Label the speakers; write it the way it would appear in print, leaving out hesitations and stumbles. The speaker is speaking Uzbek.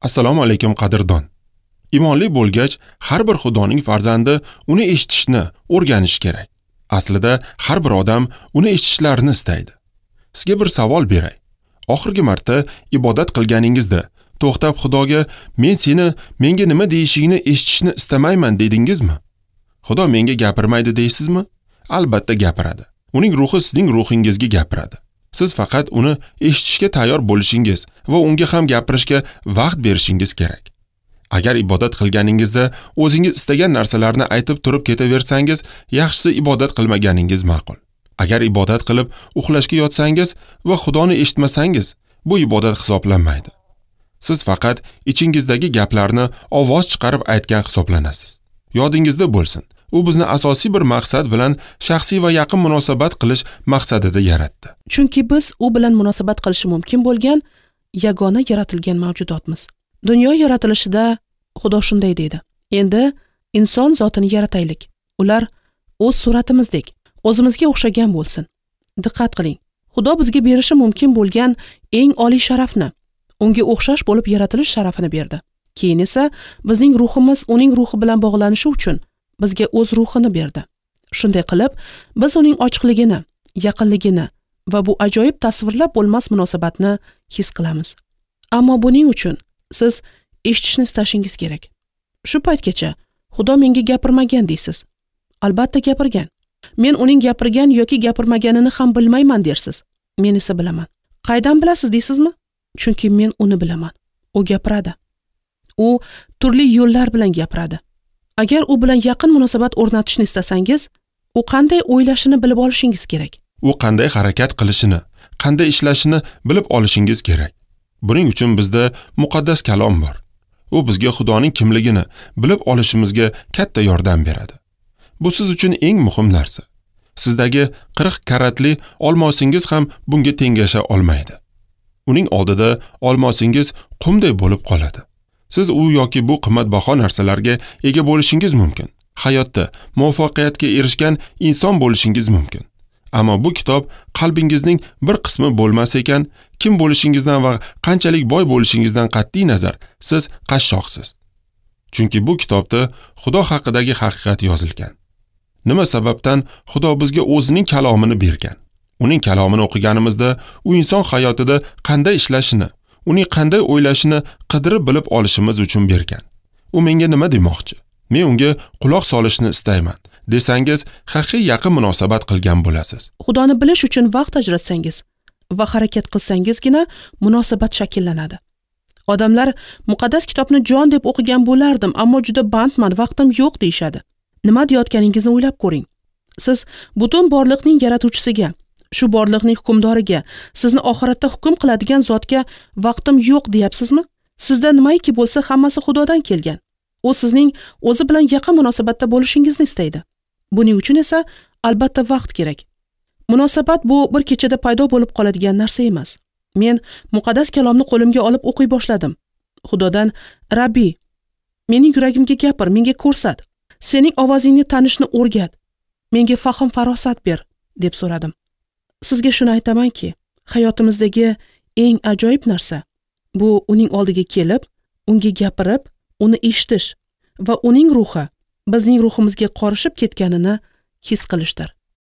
Speaker 1: Assalomu alaykum qadrdon. Imonli bo'lgach, har bir Xudoning farzandi uni eshitishni o'rganishi kerak. Aslida har bir odam uni eshitishlarini istaydi. Sizga bir savol beray. Oxirgi marta ibodat qilganingizda to'xtab Xudoga "Men seni, menga nima deyishingni eshitishni istamayman" dedingizmi? Xudo menga gapirmaydi deysizmi? Albatta gapiradi. Uning ruhi sizning ruhingizga gapiradi. Siz faqat uni eshitishga tayyor bo'lishingiz va unga ham gapirishga vaqt berishingiz kerak. Agar ibodat qilganingizda o'zingiz istagan narsalarni aytib turib ketaversangiz, yaxshisi ibodat qilmaganingiz ma'qul. Agar ibodat qilib uxlashga yotsangiz va Xudoni eshitmasangiz, bu ibodat hisoblanmaydi. Siz faqat ichingizdagi gaplarni ovoz chiqarib aytgan hisoblanasiz. Yodingizda bo'lsin, u bizni asosiy bir maqsad bilan shaxsiy va yaqin munosabat qilish maqsadida yaratdi.
Speaker 2: Chunki biz u bilan munosabat qilishi mumkin bo'lgan yagona yaratilgan mavjudotmiz. Dunyo yaratilishida Xudo shunday deydi: "Endi inson zotini yarataylik. Ular o'z suratimizdek, o'zimizga o'xshagan bo'lsin." Diqqat qiling. Xudo bizga berishi mumkin bo'lgan eng oliy sharafni, unga o'xshash bo'lib yaratilish sharafini berdi. Keyin esa bizning ruhimiz uning ruhi bilan bog'lanishi uchun bizga o'z ruhini berdi. Shunday qilib, biz uning ochiqligini, yaqinligini va bu ajoyib tasvirlab bo'lmas munosabatni his qilamiz. Ammo buning uchun siz eshitishni istashingiz kerak. Shu paytgacha Xudo menga gapirmagan deysiz. Albatta gapirgan. Men uning gapirgan yoki gapirmaganini ham bilmayman dersiz. Men esa bilaman. Qaydan bilasiz deysizmi? Chunki men uni bilaman. U gapiradi. U turli yo'llar bilan gapiradi. Agar u bilan yaqin munosabat o'rnatishni istasangiz, u qanday o'ylashini bilib olishingiz kerak.
Speaker 1: U qanday harakat qilishini, qanday ishlashini bilib olishingiz kerak. Buning uchun bizda muqaddas kalom bor. U bizga Xudoning kimligini bilib olishimizga katta yordam beradi. Bu siz uchun eng muhim narsa. Sizdagi 40 karatli olmosingiz ham bunga tengasha olmaydi. Uning oldida olmosingiz qumday bo'lib qoladi. Siz u yoki bu qimmatbaho narsalarga ega bo'lishingiz mumkin. Hayotda muvaffaqiyatga erishgan inson bo'lishingiz mumkin. Ammo bu kitob qalbingizning bir qismi bo'lmas ekan, kim bo'lishingizdan va qanchalik boy bo'lishingizdan qat'iy nazar siz qashshoqsiz. Chunki bu kitobda Xudo haqidagi haqiqat yozilgan. Nima sababdan Xudo bizga o'zining kalomini bergan? Uning kalomini o'qiganimizda u inson hayotida qanday ishlashini, uning qanday o'ylashini qidirib bilib olishimiz uchun bergan. U menga nima demoqchi? Men unga quloq solishni istayman desangiz, haqiqiy yaqin munosabat qilgan bo'lasiz.
Speaker 2: Xudoni bilish uchun vaqt ajratsangiz va harakat qilsangizgina munosabat shakllanadi. Odamlar muqaddas kitobni jon deb o'qigan bo'lardim, ammo juda bandman, vaqtim yo'q deyshadi. Nima deyotganingizni o'ylab ko'ring. Siz butun borliqning yaratuvchisiga, shu borliqning hukmdoriga, sizni oxiratda hukm qiladigan zotga vaqtim yo'q deyapsizmi? Sizda nimaiki bo'lsa hammasi Xudodan kelgan. U sizning o'zi bilan yaqin munosabatda bo'lishingizni istaydi. Buning uchun esa albatta vaqt kerak. Munosabat bu bir kechada paydo bo'lib qoladigan narsa emas. Men muqaddas kalomni qo'limga olib o'qiy boshladim. Xudodan: "Rabbi, mening yuragimga gapir, menga ko'rsat. Sening ovozingni tanishni o'rgat. Menga fahm farosat ber" deb so'radim. Sizga shuni aytamanki, hayotimizdagi eng ajoyib narsa bu uning oldiga kelib, unga gapirib, uni eshitish va uning ruhi bizning ruhimizga qorishib ketganini his qilishdir.